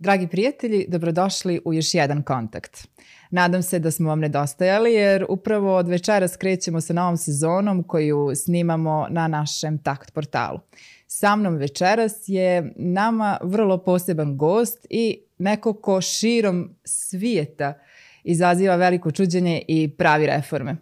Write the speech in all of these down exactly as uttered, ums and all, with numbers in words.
Dragi prijatelji, dobrodošli u još jedan kontakt. Nadam se da smo vam nedostajali jer upravo od večeras krećemo sa novom sezonom koju snimamo na našem Takt portalu. Sa mnom večeras je nama vrlo poseban gost i neko ko širom svijeta izaziva veliko čuđenje i pravi reforme.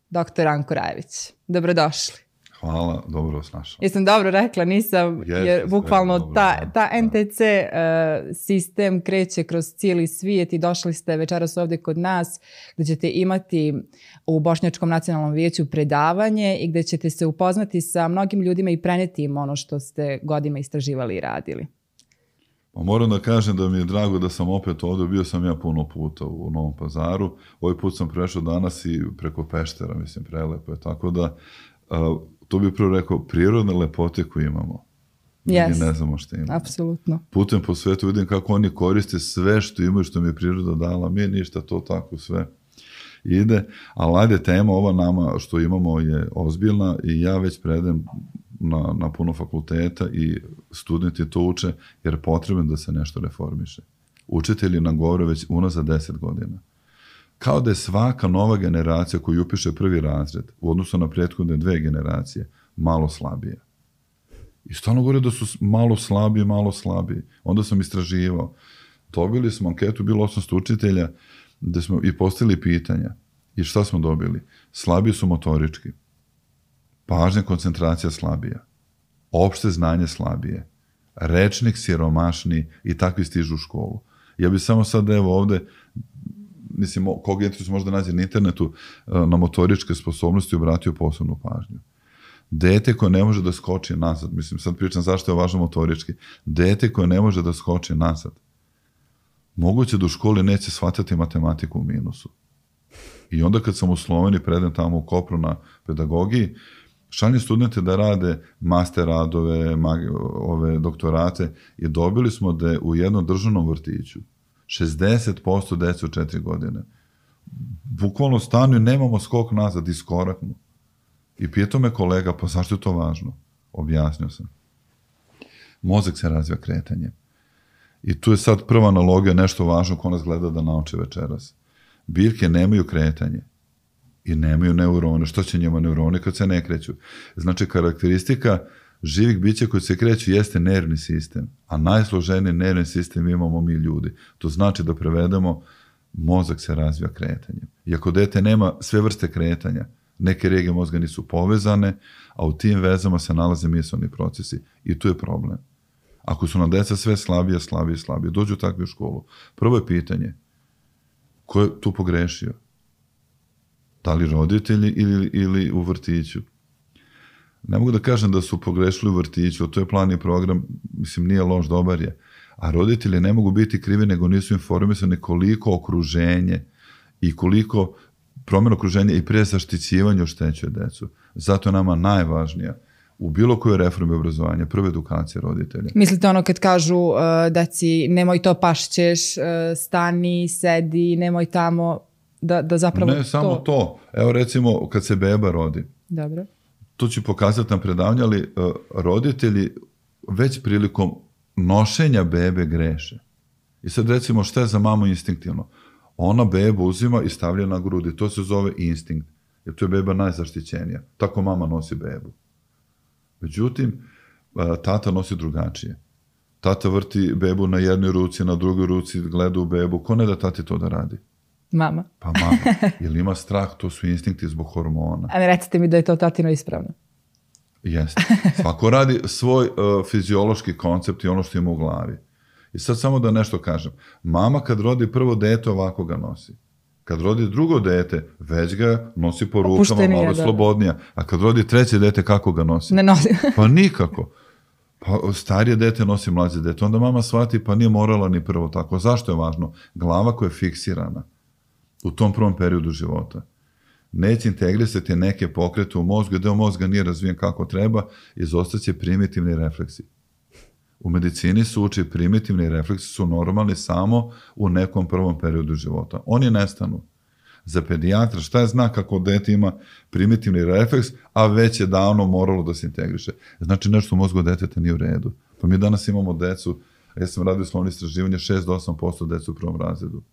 doktor Ranko Rajević. Dobrodošli. Hvala, dobro vas našao. Jesam dobro rekla, nisam, Yes, jer bukvalno dobro, ta, ta da. en te ce uh, sistem kreće kroz cijeli svijet i došli ste večeras ovdje kod nas gdje ćete imati u Bošnjačkom nacionalnom vijeću predavanje i gdje ćete se upoznati sa mnogim ljudima i prenijeti im ono što ste godinama istraživali i radili. Pa moram da kažem da mi je drago da sam opet ovdje, bio sam ja puno puta u Novom Pazaru, ovaj put sam prešao danas i preko Peštera, mislim, prelepo je, tako da uh, to bih prvo rekao, prirodne lepote koje imamo. Yes. Mi ne znamo što imamo. Apsolutno. Putem po svetu vidim kako oni koriste sve što imaju, što mi je priroda dala. Mi ništa, to tako sve ide. Ali ajde, tema ova nama što imamo je ozbiljna i ja već predem na, na puno fakulteta i studenti to uče jer je potrebno da se nešto reformiše. Učitelji nam govore već unazad deset godina. Kao da je svaka nova generacija koju upiše prvi razred u odnosu na prethodne dve generacije malo slabije. I stalno govore da su malo slabiji, malo slabiji. Onda sam istraživao. Dobili smo anketu, bilo osamsto učitelja, gde smo i postavili pitanja. I šta smo dobili? Slabiji su motorički. Pažnja, koncentracija slabija. Opšte znanje slabije. Rečnik siromašni i takvi stižu u školu. Ja bih samo sad evo ovde, mislim, koga je možda nađe na internetu, na motoričke sposobnosti obratio posebnu pažnju. Dete koje ne može da skoči nazad, mislim, sad pričam zašto je važno motorički, dete koje ne može da skoči nazad, moguće da u školi neće shvatati matematiku u minusu. I onda kad sam u Sloveniji predem tamo u Kopru na pedagogiji, šaljem studente da rade master radove, ove doktorate i dobili smo da je u jednom državnom vrtiću šezdeset posto dece u četiri godine. Bukvalno stanu i nemamo skok nazad, iskoraknu. I pitao me kolega, pa zašto je to važno? Objasnio sam. Mozak se razvija kretanjem. I tu je sad prva analogija, nešto važno ko nas gleda da nauči večeras. Biljke nemaju kretanje i nemaju neurone. Što će njima neuroni kad se ne kreću? Znači, karakteristika živih bića koji se kreću jeste nervni sistem, a najsloženiji nervni sistem imamo mi ljudi. To znači da prevedemo, mozak se razvija kretanjem. I ako dete nema sve vrste kretanja, neke regije mozga nisu povezane, a u tim vezama se nalaze misaoni procesi. I tu je problem. Ako su nam deca sve slabije, slabije, slabije, dođu takvi u školu. Prvo je pitanje, ko je tu pogrešio? Da li roditelji ili, ili u vrtiću? Ne mogu da kažem da su pogrešili u vrtiću, to je plan i program, mislim, nije loš, dobar je. A roditelji ne mogu biti krivi, nego nisu informisani koliko okruženje i koliko promjena okruženja i prije zaštićivanja oštećuje decu. Zato je nama najvažnija u bilo kojoj reformi obrazovanja prva edukacija roditelja. Mislite ono kad kažu uh, deci nemoj to pašćeš, uh, stani, sedi, nemoj tamo, da, da zapravo ne, to... samo to. Evo recimo kad se beba rodi. Dobro. To ću pokazati na predavanju, ali uh, roditelji već prilikom nošenja bebe greše. I sad recimo šta je za mamu instinktivno? Ona bebu uzima i stavlja na grudi. To se zove instinkt. Jer to je beba najzaštićenija. Tako mama nosi bebu. Međutim, tata nosi drugačije. Tata vrti bebu na jednoj ruci, na drugoj ruci, gleda u bebu. Ko ne da tati to da radi? Mama. Pa mama. Jer ima strah, to su instinkti zbog hormona. A ne recite mi da je to tatino ispravno. Jeste. Svako radi svoj uh, fiziološki koncept i ono što ima u glavi. I sad samo da nešto kažem. Mama kad rodi prvo dete ovako ga nosi. Kad rodi drugo dete, već ga nosi po rukama, Opuštenije, malo da. slobodnija. A kad rodi treće dete, kako ga nosi? Ne nosi. Pa nikako. Pa starije dete nosi mlađe dete. Onda mama shvati, pa nije morala ni prvo tako. Zašto je važno? Glava koja je fiksirana u tom prvom periodu života neće integrisati neke pokrete u mozgu, deo mozga nije razvijen kako treba, izostaće primitivni refleksi. U medicini se uči primitivni refleksi su normalni samo u nekom prvom periodu života. Oni nestanu. Za pedijatra šta je znak ako dete ima primitivni refleks, a već je davno moralo da se integriše? Znači nešto u mozgu deteta nije u redu. Pa mi danas imamo decu Ja sam radio slovno istraživanje, šest do osam posto deca u prvom razredu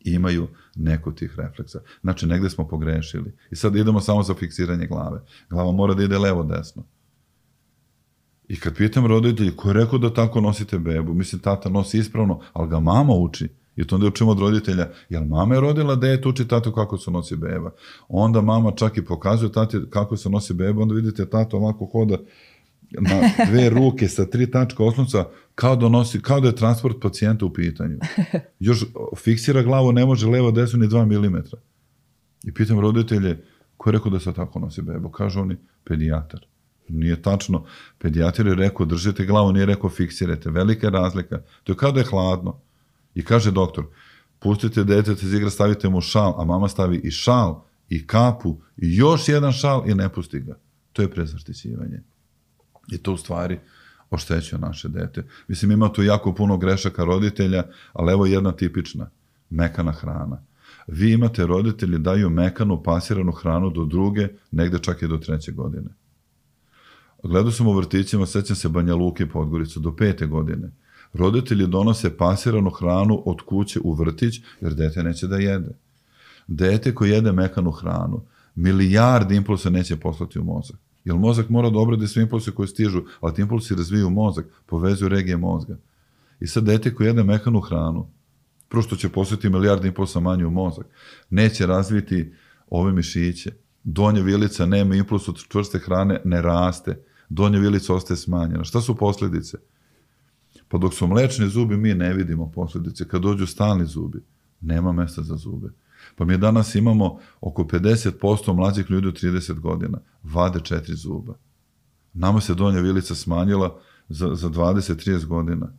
imaju neko tih refleksa. Znači, negde smo pogrešili. I sad idemo samo za fiksiranje glave. Glava mora da ide levo-desno. I kad pitam roditelji, ko je rekao da tako nosite bebu? Mislim, tata nosi ispravno, ali ga mama uči. I to onda učimo od roditelja, jel mama je rodila dete, uči tatu kako se nosi beba. Onda mama čak i pokazuje tati kako se nosi beba, onda vidite tata ovako hoda na dve ruke sa tri tačka oslonca, kao da nosi, kao da je transport pacijenta u pitanju. Još fiksira glavu, ne može levo desno ni dva milimetra. I pitam roditelje, ko je rekao da se tako nosi bebo? Kažu oni, pedijatar. Nije tačno. Pedijatar je rekao, držite glavu, nije rekao fiksirajte. Velika je razlika. To je kao da je hladno. I kaže doktor, pustite dete iz igra, stavite mu šal, a mama stavi i šal, i kapu, i još jedan šal i ne pusti ga. To je prezaštićivanje. I to u stvari oštećuje naše dete. Mislim, ima tu jako puno grešaka roditelja, ali evo jedna tipična, mekana hrana. Vi imate roditelji daju mekanu, pasiranu hranu do druge, negde čak i do treće godine. Gledao sam u vrtićima, sećam se Banja Luke i Podgoricu, do pete godine. Roditelji donose pasiranu hranu od kuće u vrtić, jer dete neće da jede. Dete koje jede mekanu hranu, milijardi impulsa neće poslati u mozak. Jer mozak mora da obradi sve impulse koje stižu, ali ti impulsi razviju mozak, povezuju regije mozga. I sad dete koje jede mekanu hranu, prvo što će poslati milijardi impulsa manje u mozak, neće razviti ove mišiće. Donja vilica nema impuls od čvrste hrane, ne raste. Donja vilica ostaje smanjena. Šta su posljedice? Pa dok su mlečni zubi, mi ne vidimo posljedice. Kad dođu stalni zubi, nema mesta za zube. Pa mi danas imamo oko pedeset posto mlađih ljudi od trideset godina. Vade četiri zuba. Nama se donja vilica smanjila za, za dvadeset do trideset godina.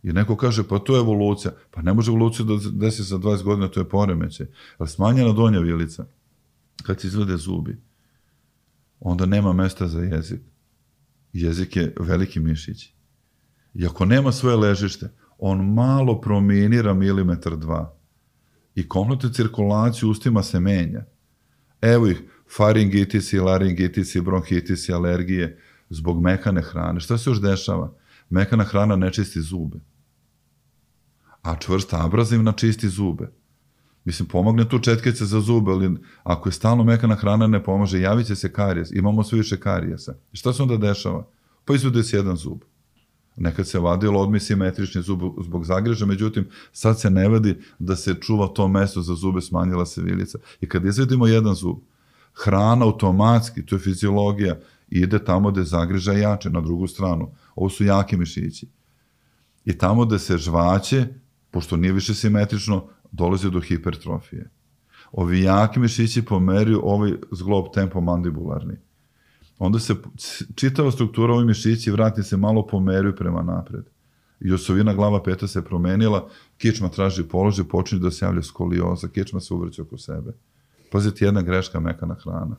I neko kaže, pa to je evolucija. Pa ne može evolucija da desi za dvadeset godina, to je poremećaj. Ali smanjena donja vilica, kad se izvade zubi, onda nema mesta za jezik. Jezik je veliki mišić. I ako nema svoje ležište, on malo prominira milimetar dva. I kompletnu cirkulaciju ustima se menja. Evo ih, faringitisi, laringitisi, bronhitisi, alergije, zbog mekane hrane. Šta se još dešava? Mekana hrana ne čisti zube. A čvrsta abrazivna čisti zube. Mislim, pomogne tu četkica za zube, ali ako je stalno mekana hrana ne pomaže, javit će se karijes. Imamo sve više karijesa. I šta se onda dešava? Pa izvede se jedan zub. Nekad se vadilo odmi simetrični zub zbog zagreža, međutim, sad se ne vadi da se čuva to mesto za zube, smanjila se vilica. I kad izvedimo jedan zub, hrana automatski, to je fiziologija, ide tamo gde zagreža jače, na drugu stranu. Ovo su jaki mišići. I tamo gde se žvaće, pošto nije više simetrično, dolazi do hipertrofije. Ovi jaki mišići pomeriju ovaj zglob tempomandibularni. Onda se čitava struktura ovih mišići vrati se malo pomeriju prema napred. I osovina glava peta se promenila, kičma traži položaj, počinje da se javlja skolioza, kičma se uvrće oko sebe. Pazite, jedna greška, mekana hrana.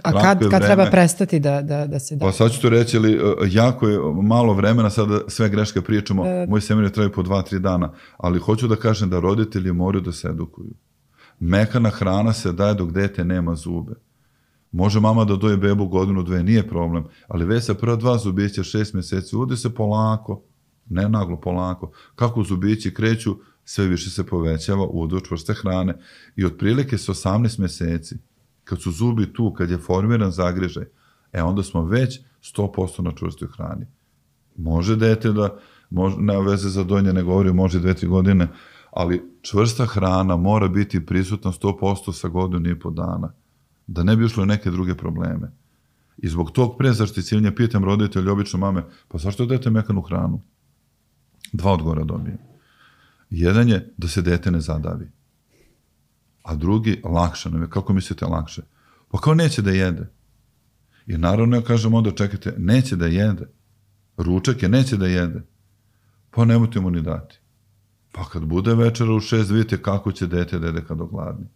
A kad, kad treba prestati da, da, da se da? Pa sad ću to reći, ali jako je malo vremena, sada sve greške pričamo, e... moji seminari traju po dva, tri dana, ali hoću da kažem da roditelji moraju da se edukuju. Mekana hrana se daje dok dete nema zube. Može mama da doje bebu godinu, dve, nije problem, ali već sa prva dva zubića, šest mjeseci, uvodi se polako, ne naglo, polako. Kako zubići kreću, sve više se povećava udeo čvrste hrane i otprilike sa osamnaest mjeseci, kad su zubi tu, kad je formiran zagrežaj, e onda smo već sto posto na čvrstoj hrani. Može dete da, može, nema veze za dojnje, ne govori, može dve, tri godine, ali čvrsta hrana mora biti prisutna sto posto sa godinu i po dana, da ne bi ušlo neke druge probleme. I zbog tog prezaštićivanja pitam roditelji, obično mame, pa zašto dete mekanu hranu? Dva odgovora dobijem. Jedan je da se dete ne zadavi. A drugi, lakše nam je. Kako mislite lakše? Pa kao neće da jede. I naravno ja kažem onda, čekajte, neće da jede. Ručak je, neće da jede. Pa nemojte mu ni dati. Pa kad bude večera u šest, vidite kako će dete da jede kad ogladni.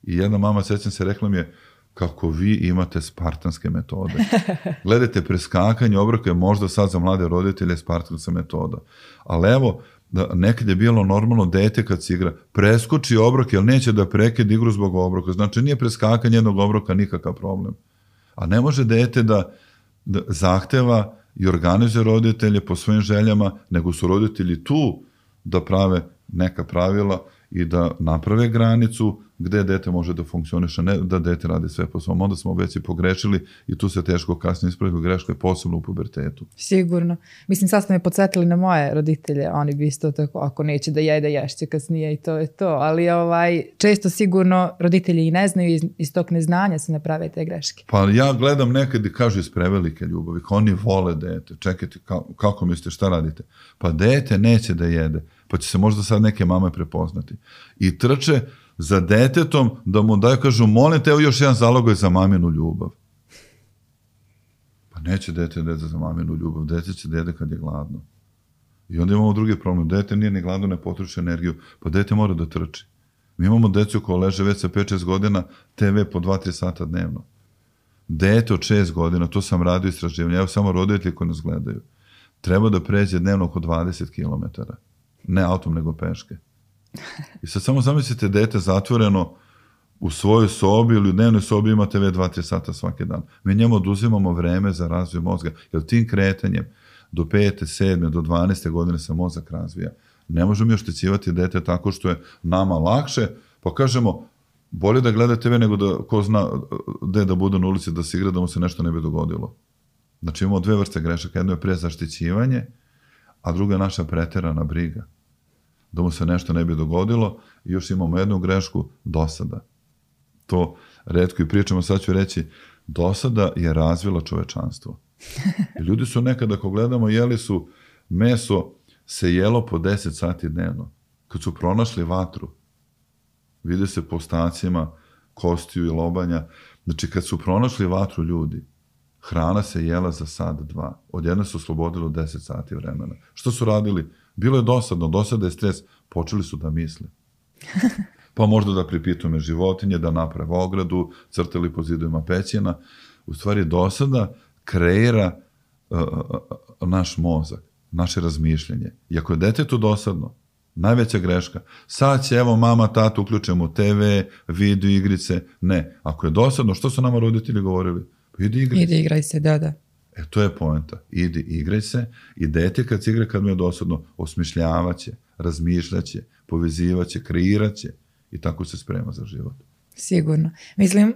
I jedna mama, sećam se, rekla mi je, kako vi imate spartanske metode. Gledajte, preskakanje obroka je možda sad za mlade roditelje spartanska metoda. Ali evo, da nekad je bilo normalno dete kad se igra, preskoči obrok jer neće da prekida igru zbog obroka. Znači nije preskakanje jednog obroka nikakav problem. A ne može dete da, da zahteva i organizuje roditelje po svojim željama, nego su roditelji tu da prave neka pravila i da naprave granicu gde dete može da funkcioniše, ne da dete radi sve po svom. Onda smo već i pogrešili i tu se teško kasnije ispraviti greške, posebno u pubertetu. Sigurno. Mislim, sad ste me podsjetili na moje roditelje, oni bi isto tako, ako neće da jede, ješće kasnije i to je to. Ali ovaj, često sigurno roditelji i ne znaju, iz, iz tog neznanja se naprave te greške. Pa ja gledam nekad i kažu iz prevelike ljubavi, kao oni vole dete. Čekajte, ka, kako mislite, šta radite? Pa dete neće da jede, pa će se možda sad neke mame prepoznati. I trče za detetom da mu daju, kažu, molim te, evo još jedan zalogaj za maminu ljubav. Pa neće dete dete za maminu ljubav, dete će dede kad je gladno. I onda imamo drugi problem, dete nije ni gladno, ne potroši energiju, pa dete mora da trči. Mi imamo decu koja leže već sa pet šest godina, te ve po dva tri sata dnevno. Dete od šest godina, to sam radio istraživanje, evo samo roditelji koji nas gledaju, treba da pređe dnevno oko dvadeset kilometara. Ne autom, nego peške. I sad samo zamislite dete zatvoreno u svojoj sobi ili u dnevnoj sobi ima te ve dva tri sata svaki dan. Mi njemu oduzimamo vreme za razvoj mozga, jer tim kretanjem do pete, sedme, do dvanaeste godine se mozak razvija. Ne možemo mi oštećivati dete tako što je nama lakše, pa kažemo, bolje da gleda te ve nego da ko zna gde da bude na ulici da se igra, da mu se nešto ne bi dogodilo. Znači imamo dve vrste grešaka, jedno je prezaštićivanje, a druga je naša preterana briga. Da mu se nešto ne bi dogodilo i još imamo jednu grešku, dosada. To retko i pričamo, sad ću reći, dosada je razvila čovečanstvo. I ljudi su nekada, ako gledamo, jeli su meso se jelo po deset sati dnevno. Kad su pronašli vatru, vide se po ostacima kostiju i lobanja, znači kad su pronašli vatru ljudi, hrana se jela za sat, dva. Odjedno su oslobodilo deset sati vremena. Što su radili? Bilo je dosadno, dosada je stres. Počeli su da misle. Pa možda da pripitume životinje, da naprave ogradu, crtali po zidovima pećina. U stvari dosada kreira uh, uh, naš mozak, naše razmišljanje. I ako je detetu dosadno, najveća greška, sad će evo mama, tata, uključujemo te ve, video igrice. Ne, ako je dosadno, što su nama roditelji govorili? Pa idi igraj se. Idi igraj se, da, da. E, to je poenta. Idi, igraj se i dete kad se igra, kad mu je dosadno, osmišljavaće, razmišljaće, povezivaće, kreiraće i tako se sprema za život. Sigurno. Mislim,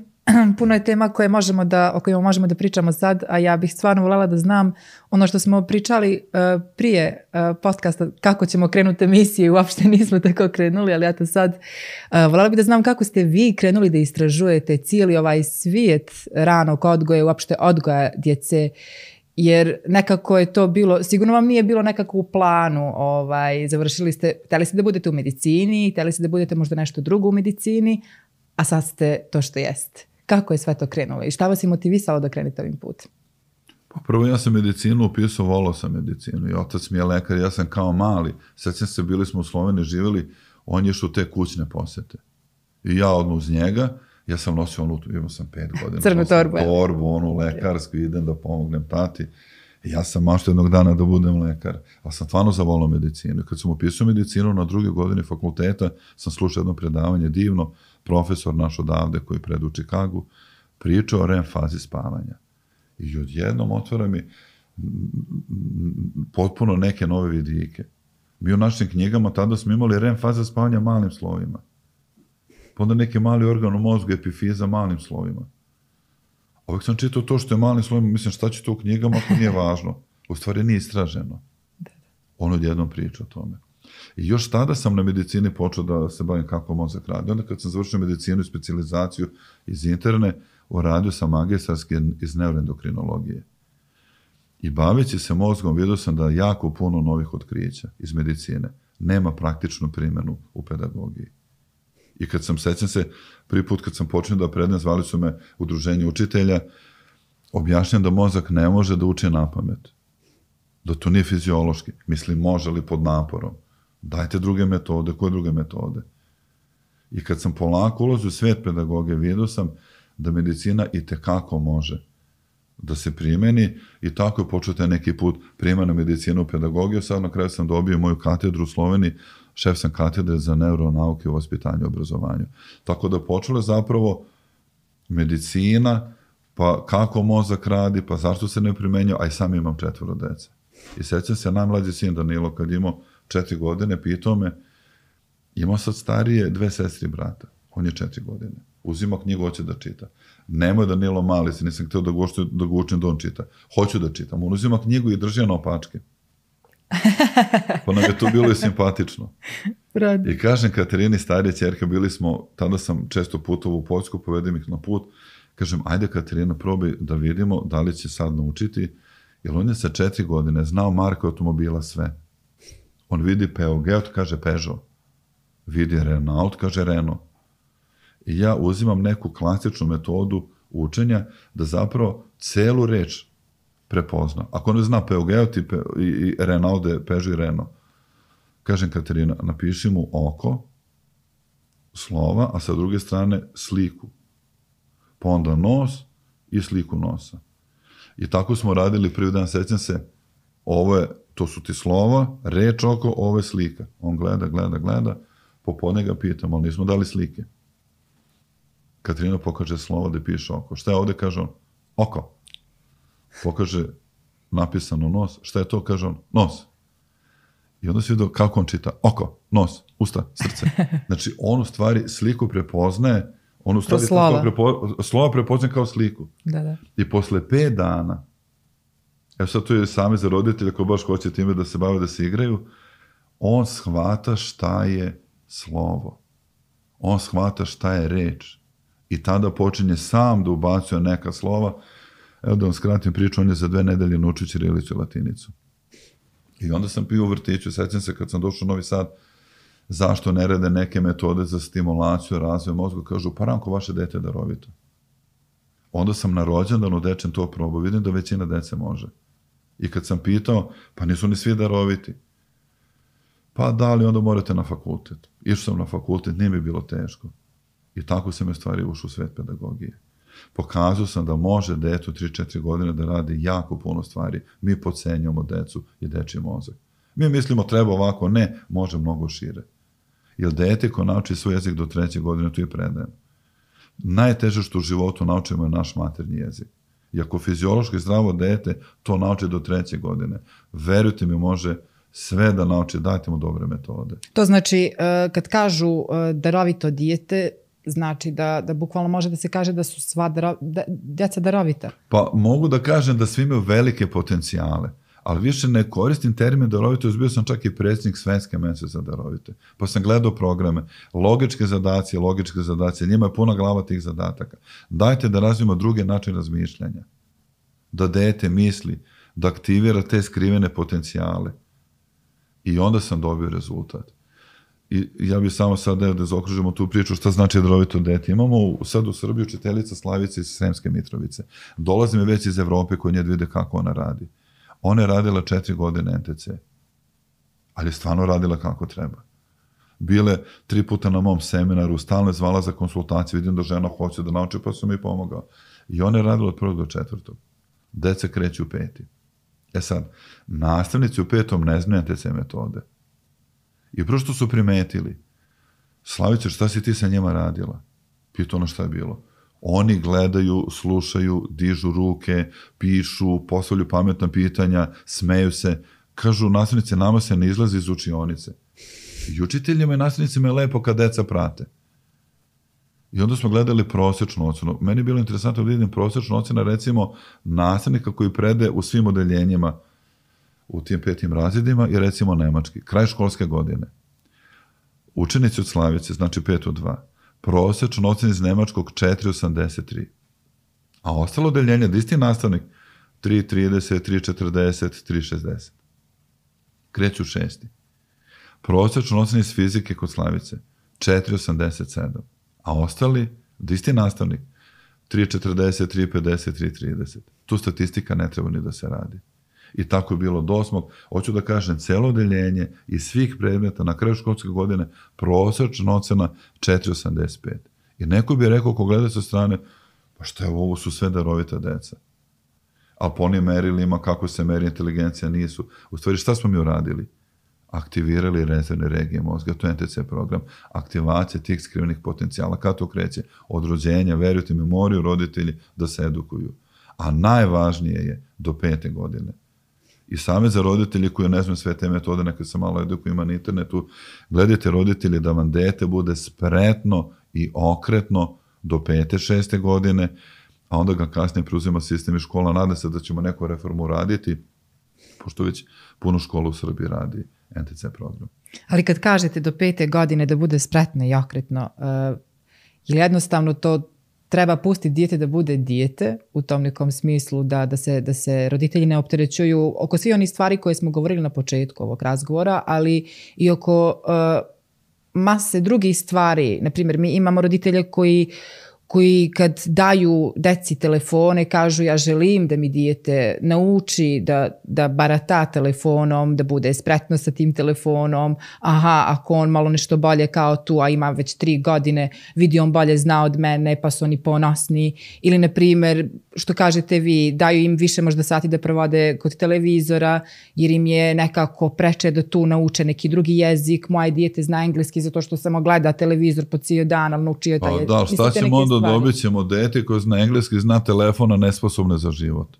puno je tema koje možemo da, o kojima možemo da pričamo sad, a ja bih stvarno voljela da znam ono što smo pričali uh, prije uh, podcasta, kako ćemo krenuti emisiju, uopšte nismo tako krenuli, ali ja to sad uh, voljela bih da znam kako ste vi krenuli da istražujete cijeli ovaj svijet ranog odgoja, uopšte odgoja djece, jer nekako je to bilo, sigurno vam nije bilo nekako u planu, ovaj, završili ste, htjeli ste da budete u medicini, htjeli ste da budete možda nešto drugo u medicini, a sad ste to što jeste. Kako je sve to krenulo i šta vas je motivisalo da krenete ovim putem? Pa prvo ja sam medicinu upisao, volao sam medicinu i otac mi je lekar, ja sam kao mali, sećam se, bili smo u Sloveniji, živjeli, on je što te kućne posete. I ja odmah uz njega, ja sam nosio onu, imao sam pet godina. Crnu torbu. Torbu, onu lekarsku, idem da pomognem tati. I ja sam maštao jednog dana da budem lekar, ali sam stvarno zavolao medicinu. I kad sam upisao medicinu na drugoj godini fakulteta, sam slušao jedno predavanje divno, profesor naš odavde koji predu u Čikagu, pričao o REM fazi spavanja. I odjednom otvara mi potpuno neke nove vidike. Mi u našim knjigama tada smo imali REM faza spavanja malim slovima. Pa onda neki mali organ u mozgu, epifiza malim slovima. Uvijek sam čitao to što je malim slovima, mislim šta će to u knjigama ako nije važno. U stvari nije istraženo. On odjednom priča o tome. I još tada sam na medicini počeo da se bavim kako mozak radi. Onda kad sam završio medicinu i specijalizaciju iz interne, uradio sam magistarski iz neuroendokrinologije. I baveći se mozgom, vidio sam da jako puno novih otkrića iz medicine nema praktičnu primjenu u pedagogiji. I kad sam, sećam se, prvi put kad sam počeo da predajem, zvali su me udruženje učitelja, objašnjam da mozak ne može da uči na pamet. Da to nije fiziološki. Mislim, može li pod naporom. Dajte druge metode. Koje druge metode? I kad sam polako ulazio u svijet pedagogije, vidio sam da medicina i tekako može da se primeni i tako je počeo taj neki put primjena medicinu u pedagogiju. Sad na kraju sam dobio moju katedru u Sloveniji, šef sam katedre za neuronauke u vaspitanju i obrazovanju. Tako da počela zapravo medicina pa kako mozak radi, pa zašto se ne primenjuje, a i sam imam četvoro dece. I sećam se, najmlađi sin Danilo, kad imao četiri godine, pitao me, imao sad starije dve sestri i brata, on je četiri godine, uzima knjigu, hoće da čita. Nemoj Danilo mali, se nisam htio da ga, ušte, da ga učim da on čita. Hoću da čitam. On uzima knjigu i drži na opačke. Pa nam je to bilo i simpatično. Rad. I kažem Katarini, starije ćerke, bili smo, tada sam često putovao u Poljsku, povedem ih na put, kažem, ajde Katarina, probaj da vidimo da li će sad naučiti, jer on je sa četiri godine znao marke automobila sve. On vidi Peugeot, kaže Peugeot. Vidi Renault, kaže Renault. I ja uzimam neku klasičnu metodu učenja da zapravo celu reč prepozna. Ako ne zna Peugeot i, i, i Renault, Peugeot i Renault, kažem Katarina, napiši mu oko, slova, a sa druge strane sliku. Pa onda nos i sliku nosa. I tako smo radili prvi dan, sećam se, ovo je, to su ti slova, reč oko, ovo je slika. On gleda, gleda, gleda, popodne ga pitam, ali nismo dali slike. Katarina pokaže slovo da piše oko. Šta je ovde, kaže on? Oko. Pokaže napisano nos. Šta je to, kaže on? Nos. I onda se vidio kako on čita. Oko, nos, usta, srce. Znači, on u stvari sliku prepoznaje, on u stvari slova. Prepo, slova prepoznaje kao sliku. Da, da. I posle pet dana, evo sad to je same za roditelje ko baš hoće time da se bave, da se igraju, on shvata šta je slovo. On shvata šta je reč. I tada počinje sam da ubacuje neka slova. Evo da vam skratim priču, on je za dve nedelje naučio ćirilicu i latinicu. I onda sam pio u vrtiću, sećam se kad sam došao u Novi Sad, zašto ne rade neke metode za stimulaciju, razvoj mozga, kažu, pa Ranko, vaše dete je darovito. Onda sam na rođendanu dečem to probao, vidim da većina dece može. I kad sam pitao, pa nisu ni svi daroviti. Pa da li onda morate na fakultet? Išao sam na fakultet, nije mi bilo teško. I tako sam je stvari ušao u svet pedagogije. Pokazao sam da može dete u tri četiri godine da radi jako puno stvari. Mi podcenjujemo decu i dečji mozak. Mi mislimo treba ovako, ne, može mnogo šire. Jer dete ko nauči svoj jezik do treće godine, tu je predajem. Najteže što u životu naučimo je naš maternji jezik. I ako fiziološki zdravo dete to nauči do treće godine, verujte mi, može sve da nauči, dajte mu dobre metode. To znači, kad kažu darovito dijete, znači da, da bukvalno može da se kaže da su sva daro, da, djeca darovita. Pa mogu da kažem da svi imaju velike potencijale, ali više ne koristim termin darovito, bio sam čak i predsjednik Svetske mese za darovite. Pa sam gledao programe, logičke zadacije, logičke zadacije, njima je puna glava tih zadataka. Dajte da razvijemo druge načine razmišljanja. Da dete misli, da aktivira te skrivene potencijale. I onda sam dobio rezultat. I ja bih samo sad da, da zaokružimo tu priču šta znači darovito dete. Imamo sad u Srbiji učiteljica Slavica iz Sremske Mitrovice. Dolazi mi već iz Evrope koji nje vide kako ona radi. Ona je radila četiri godine en te ce. Ali je stvarno radila kako treba. Bile tri puta na mom seminaru, stalno je zvala za konsultaciju, vidim da žena hoće da nauči, pa sam mi pomogao. I ona je radila od prvog do četvrtog. Deca kreću u peti. E sad, nastavnici u petom ne znaju en te ce metode. I prvo što su primetili, Slavića, šta si ti sa njima radila? Pitao ono šta je bilo. Oni gledaju, slušaju, dižu ruke, pišu, postavljaju pametna pitanja, smeju se. Kažu, nastavnice, nama se ne izlazi iz učionice. I učiteljima i nastavnicima je lepo kad deca prate. I onda smo gledali prosječnu ocenu. Meni je bilo interesantno da vidim prosječnu ocenu, recimo, nastavnika koji prede u svim odeljenjima u tim petim razredima i recimo nemački. Kraj školske godine. Učenici od Slavice, znači pet od dva. Prosječno ocen iz nemačkog četiri zarez osamdeset tri. A ostalo odeljenje, da isti nastavnik, tri zarez trideset, tri zarez četrdeset, tri zarez šezdeset. Kreću šesti. Prosječno ocen iz fizike kod Slavice, četiri zarez osamdeset sedam. A ostali, da isti nastavnik, tri zarez četrdeset, tri zarez pedeset, tri zarez trideset. Tu statistika ne treba ni da se radi. I tako je bilo do osmog. Hoću da kažem, celo odeljenje i svih predmeta na kraju školske godine prosječna ocena četiri zarez osamdeset pet. I neko bi rekao, ko gleda sa strane, pa šta je ovo, su sve darovita deca. A po onim merilima, kako se meri inteligencija, nisu. U stvari, šta smo mi uradili? aktivirali rezervne regije mozga, to je en te ce program, aktivacija tih skrivenih potencijala. Kad to kreće? Od rođenja, verujte mi, moraju roditelji da se edukuju. A najvažnije je do pete godine. I Savet za roditelji koji ne znam sve te metode, neka se malo edukuju, ima na internetu, gledajte roditelji da vam dete bude spretno i okretno do pete, šeste godine, a onda ga kasnije preuzima sistem i škola. Nada se da ćemo neku reformu raditi, pošto već puno škola u Srbiji radi en te ce program. Ali kad kažete do pete godine da bude spretno i okretno, uh, je jednostavno to treba pustiti dijete da bude dijete u tom nekom smislu da, da, se, da se roditelji ne opterećuju oko svih onih stvari koje smo govorili na početku ovog razgovora, ali i oko uh, mase drugih stvari. Naprimjer, mi imamo roditelje koji koji kad daju deci telefone kažu ja želim da mi dijete nauči da, da barata telefonom, da bude spretno sa tim telefonom, aha, ako on malo nešto bolje kao tu, a ima već tri godine, vidi on bolje zna od mene, pa su oni ponosni. Ili, na primjer, što kažete vi, daju im više možda sati da provode kod televizora, jer im je nekako preče da tu nauče neki drugi jezik. Moje dijete zna engleski zato što samo gleda televizor po cijel dan, ali naučio taj jezik. Da, šta ćemo onda dobit ćemo dete koje zna engleski, zna telefona, nesposobne za život.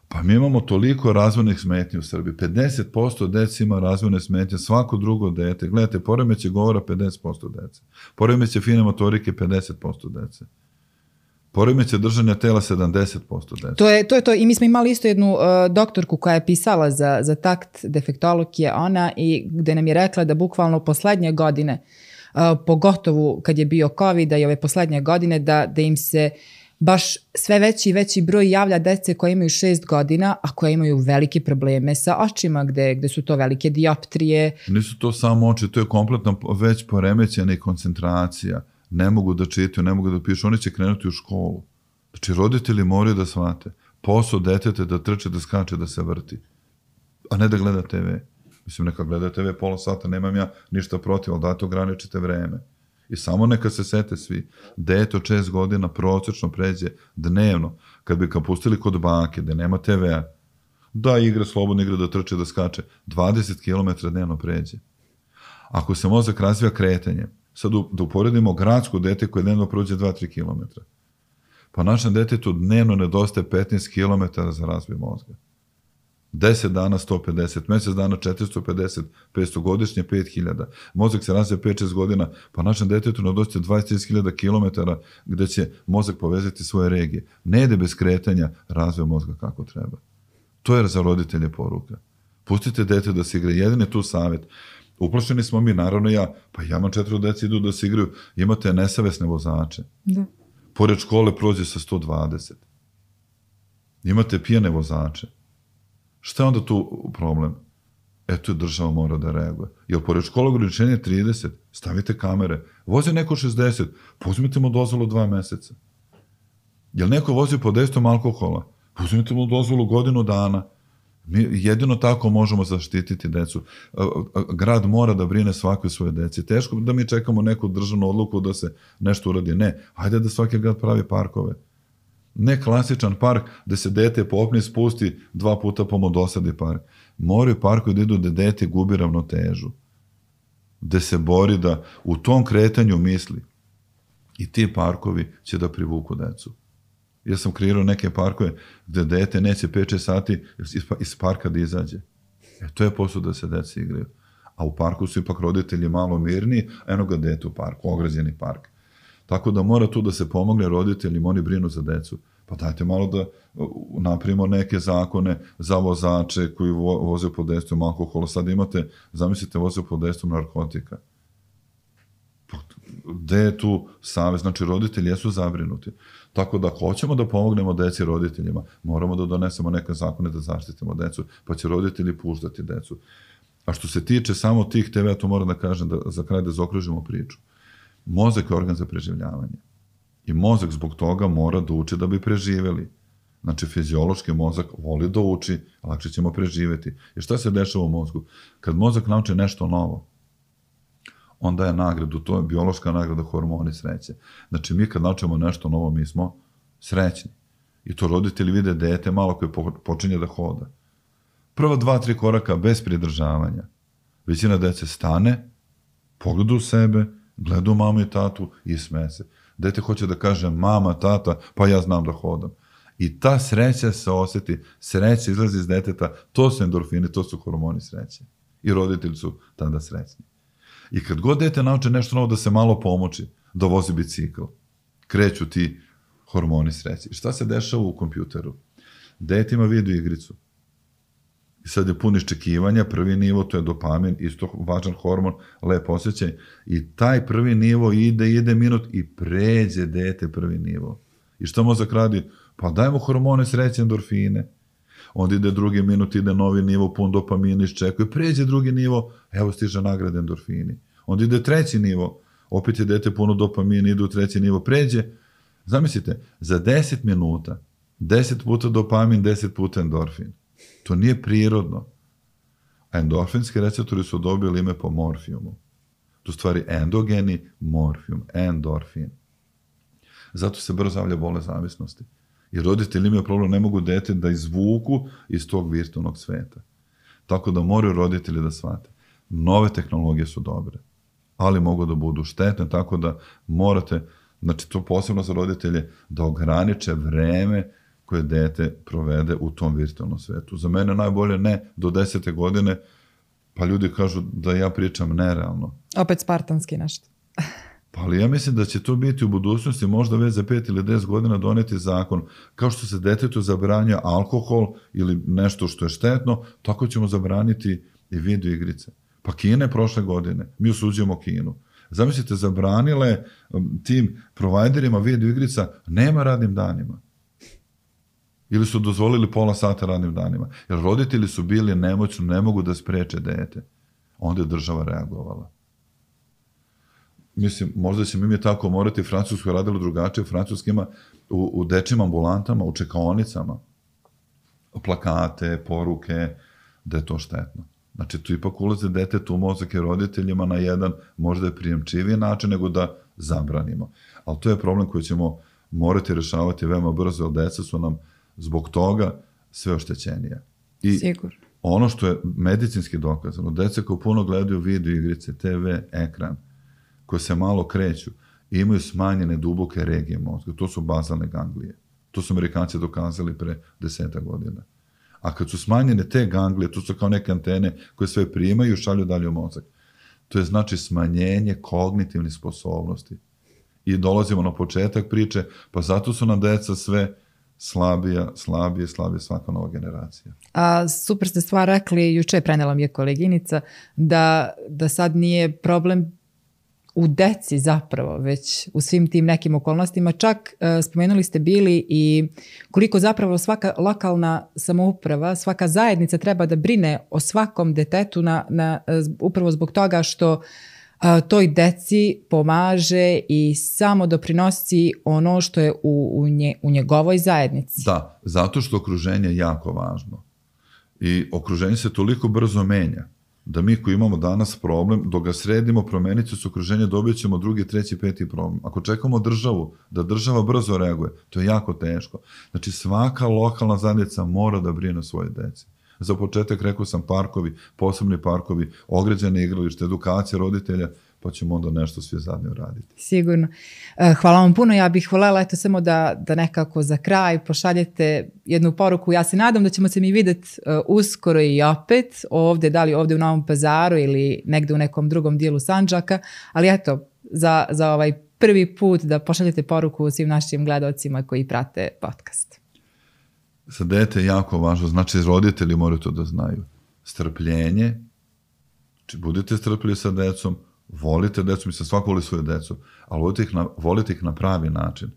Pa mi imamo toliko razvojnih smetnji u Srbiji. pedeset posto dece ima razvojne smetnje, svako drugo dete. Gledajte, poremeće govora pedeset posto dece. Poremeće fine motorike pedeset posto dece. Poremeće držanja tela sedamdeset posto dece. To je, to je to. I mi smo imali isto jednu uh, doktorku koja je pisala za, za takt, defektolog je ona, i gde nam je rekla da bukvalno poslednje godine, uh, pogotovo kad je bio COVID i ove poslednje godine, da, da im se baš sve veći i veći broj javlja dece koje imaju šest godina, a koje imaju velike probleme sa očima, gde, gde su to velike dioptrije. Nisu to samo oči, to je kompletno već poremećena i koncentracija. Ne mogu da čitaju, ne mogu da pišu, oni će krenuti u školu. Znači, roditelji moraju da shvate. Posao detete da trče, da skače, da se vrti. A ne da gleda te ve. Mislim, neka gleda te ve pola sata, nemam ja ništa protiv, ali date ograničite vreme. I samo neka se sete svi. Dete od šest godina prosečno pređe dnevno, kad bi ga pustili kod bake, da nema te vea, da igra, slobodno igra, da trče, da skače, dvadeset kilometara dnevno pređe. Ako se mozak razvija kretanjem, sad da uporedimo gradsko dete koje dnevno prođe dva do tri kilometra. Pa našem detetu dnevno nedostaje petnaest kilometara za razvoj mozga. deset dana sto pedeset, mjesec dana četiristo pedeset, petsto godišnje pet hiljada. Mozak se razvija pet do šest godina, pa našem detetu nedostaje dvadeset do trideset hiljada kilometara gde će mozak povezati svoje regije. Ne ide bez kretanja razvoj mozga kako treba. To je za roditelje poruka. Pustite dete da se igra. Jedini tu savjet. Uplašeni smo mi, naravno ja, pa ja imam četiri deci idu da se igraju, imate nesavesne vozače. Da. Pored škole prođe sa sto dvadeset. Imate pijane vozače. Šta je onda tu problem? Eto, država mora da reaguje. Jer pored škole ograničenje trideset, stavite kamere. Vozi neko šezdeset, pozmite mu dozvolu dva meseca. Jel neko vozi pod dejstvom alkohola? Pozmite mu dozvolu godinu dana. Mi jedino tako možemo zaštititi decu. Grad mora da brine svakoj svoje deci. Teško da mi čekamo neku državnu odluku da se nešto uradi. Ne, hajde da svaki grad pravi parkove. Ne klasičan park da se dete popne, spusti dva puta pa mu dosadi park. Moraju parkovi da idu da dete gubi ravnotežu. Da se bori da u tom kretanju misli. I ti parkovi će da privuku decu. Ja sam kreirao neke parkove gde dete neće pet šest sati iz parka da izađe. E, to je posao da se deci igraju. A u parku su ipak roditelji malo mirniji, a eno ga dete u parku, ograđeni park. Tako da mora tu da se pomogne roditeljima, oni brinu za decu. Pa dajte malo da napravimo neke zakone za vozače koji vo, voze pod dejstvom alkohola. Sad imate, zamislite, voze pod dejstvom narkotika. Gde je tu savez? Znači, roditelji jesu zabrinuti. Tako da hoćemo da pomognemo deci roditeljima, moramo da donesemo neke zakone da zaštitimo decu, pa će roditelji puštati decu. A što se tiče samo tih te ve, to moram da kažem, da za kraj da zaokružimo priču. Mozak je organ za preživljavanje. I mozak zbog toga mora da uči da bi preživeli. Znači, fiziološki mozak voli da uči, lakše ćemo preživeti. I šta se dešava u mozgu? Kad mozak nauči nešto novo, onda je nagradu, to je biološka nagrada, hormoni sreće. Znači, mi kad naučimo nešto novo, mi smo srećni. I to roditelji vide dete malo koje počinje da hoda. Prva dva, tri koraka bez pridržavanja. Većina dece stane, pogleda u sebe, gleda u mamu i tatu i sme se. Dete hoće da kaže mama, tata, pa ja znam da hodam. I ta sreća se osjeti, sreća izlazi iz deteta, to su endorfini, to su hormoni sreće. I roditelji su tada srećni. I kad god dete nauče nešto novo da se malo pomoći, da vozi bicikl, kreću ti hormoni sreće. I šta se dešava u kompjuteru? Dete ima video igricu. I sad je pun iščekivanja, prvi nivo, to je dopamin, isto važan hormon, lep osjećaj. I taj prvi nivo ide, ide minut i pređe dete prvi nivo. I šta mozak radi? Pa dajmo hormone sreće, endorfine. Onda ide drugi minut, ide novi nivo, pun dopamina, iščekuje, pređe drugi nivo, evo stiže nagrade, endorfini. Onda ide treći nivo, opet je dete puno dopamina, ide u treći nivo, pređe. Zamislite, za deset minuta, deset puta dopamin, deset puta endorfin. To nije prirodno. A endorfinski receptori su dobili ime po morfijumu. To stvari endogeni morfijum, endorfin. Zato se brzo javlja bolest zavisnosti. I roditelji imaju problem, ne mogu dete da izvuku iz tog virtualnog sveta. Tako da moraju roditelji da shvate. Nove tehnologije su dobre, ali mogu da budu štetne, tako da morate, znači to posebno za roditelje, da ograniče vreme koje dete provede u tom virtualnom svetu. Za mene najbolje ne do desete godine, pa ljudi kažu da ja pričam nerealno. Opet spartanski nešto. Pa ali ja mislim da će to biti u budućnosti, možda već za pet ili deset godina doneti zakon. Kao što se detetu zabranja alkohol ili nešto što je štetno, tako ćemo zabraniti i video igrice. Pa Kina je prošle godine, mi osuđujemo Kinu. Zamislite, zabranile tim provajderima video igrica, nema radnim danima. Ili su dozvolili pola sata radnim danima. Jer roditelji su bili nemoćni, ne mogu da spreče dete. Onda je država reagovala. Mislim, možda će mi tako morati, Francusko je radilo drugačije, Francuskima u, u dečjim ambulantama, u čekaonicama, plakate, poruke, da je to štetno. Znači, tu ipak ulaze detetu u mozak i roditeljima na jedan možda je prijemčiviji način nego da zabranimo. Ali to je problem koji ćemo morati rešavati veoma brzo, jer deca su nam zbog toga sve oštećenije. I Sigur. Ono što je medicinski dokazano, deca koji puno gledaju video igrice, te ve, ekran, koje se malo kreću, imaju smanjene duboke regije mozga. To su bazalne ganglije. To su Amerikanci dokazali pre deseta godina. A kad su smanjene te ganglije, to su kao neke antene koje sve primaju i šalju dalje u mozak. To je znači smanjenje kognitivnih sposobnosti. I dolazimo na početak priče, pa zato su nam deca sve slabija, slabije, slabije svaka nova generacija. A super ste stvar rekli, juče je prenela mi je koleginica, da, da sad nije problem u deci zapravo, već u svim tim nekim okolnostima. Čak uh, spomenuli ste bili i koliko zapravo svaka lokalna samouprava, svaka zajednica treba da brine o svakom detetu na, na, upravo zbog toga što uh, toj deci pomaže i samo doprinosi ono što je u, u, nje, u njegovoj zajednici. Da, zato što okruženje je jako važno. I okruženje se toliko brzo menja da mi koji imamo danas problem, dok ga sredimo, promenit će se okruženje, dobit ćemo drugi, treći, peti problem. Ako čekamo državu, da država brzo reaguje, to je jako teško. Znači svaka lokalna zajednica mora da brine o svoje deci. Za početak rekao sam parkovi, posebni parkovi, ograđene igralište, edukacija roditelja, pa ćemo onda nešto svi zajedno raditi. Sigurno. Hvala vam puno. Ja bih voljela eto samo da, da nekako za kraj pošaljete jednu poruku. Ja se nadam da ćemo se mi vidjeti uskoro i opet ovdje, da li ovdje u Novom Pazaru ili negdje u nekom drugom dijelu Sandžaka, ali eto, za, za ovaj prvi put da pošaljete poruku svim našim gledalcima koji prate podcast. Za dete je jako važno, znači roditelji moraju to da znaju. Strpljenje, znači budite strpljivi sa decom, volite decu, mislim svako voli svoju decu, ali volite ih, na, volite ih na pravi način.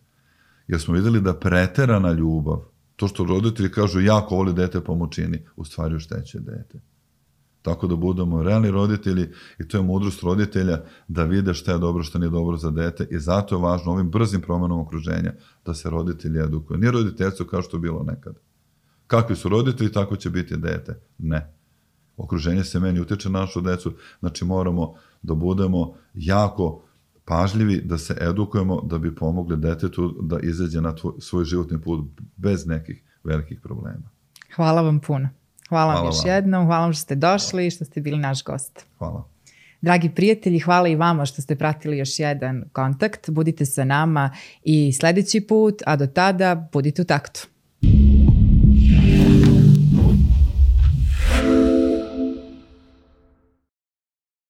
Jer smo vidjeli da preterana ljubav, to što roditelji kažu jako voli dete pomoćini, u stvari oštećuje dete. Tako da budemo realni roditelji i to je mudrost roditelja da vide šta je dobro, šta nije dobro za dete i zato je važno ovim brzim promjenom okruženja da se roditelji edukuju. Nije roditeljstvo kao što je bilo nekad. Kakvi su roditelji, tako će biti dete. Ne. Okruženje se meni utiče na našu decu, znači moramo da budemo jako pažljivi, da se edukujemo, da bi pomogli detetu da izađe na tvoj, svoj životni put bez nekih velikih problema. Hvala vam puno. Hvala, hvala vam još vam. jednom, hvala vam što ste došli i što ste bili naš gost. Hvala. Dragi prijatelji, hvala i vama što ste pratili još jedan kontakt. Budite sa nama i sljedeći put, a do tada budite u taktu.